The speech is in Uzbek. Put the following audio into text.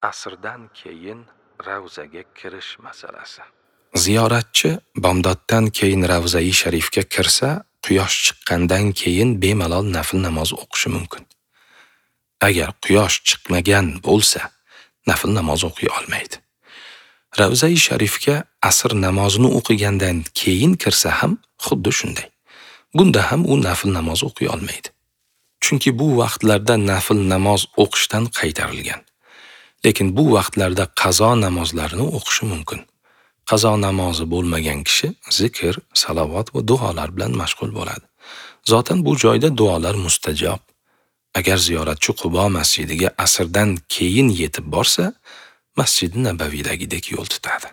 Asrdan keyin ravzaga kirish masalasi. Ziyoratchi bomdoddan keyin Ravzai Sharifga kirsa, quyosh chiqqandan keyin bemalol nafl namoz o'qishi mumkin. Agar quyosh chiqmagan bo'lsa, nafl namoz o'qiy olmaydi. Ravzai Sharifga asr namozini o'qigandan keyin kirsa ham xuddi shunday. Bunda ham u nafl namoz o'qiy olmaydi. Chunki bu vaqtlarda nafl namoz o'qishdan qaytarilgan. Lekin bu vaqtlarda qazo namozlarini o'qishi mumkin. Qazo namozi bo'lmagan kishi zikr, salovat va duolar bilan mashg'ul bo'ladi. Zotan bu joyda duolar mustajob. Agar ziyoratchi Qubo masjidiga asrdan keyin yetib borsa, Masjidi Nabaviydagidek yo'l tutadi.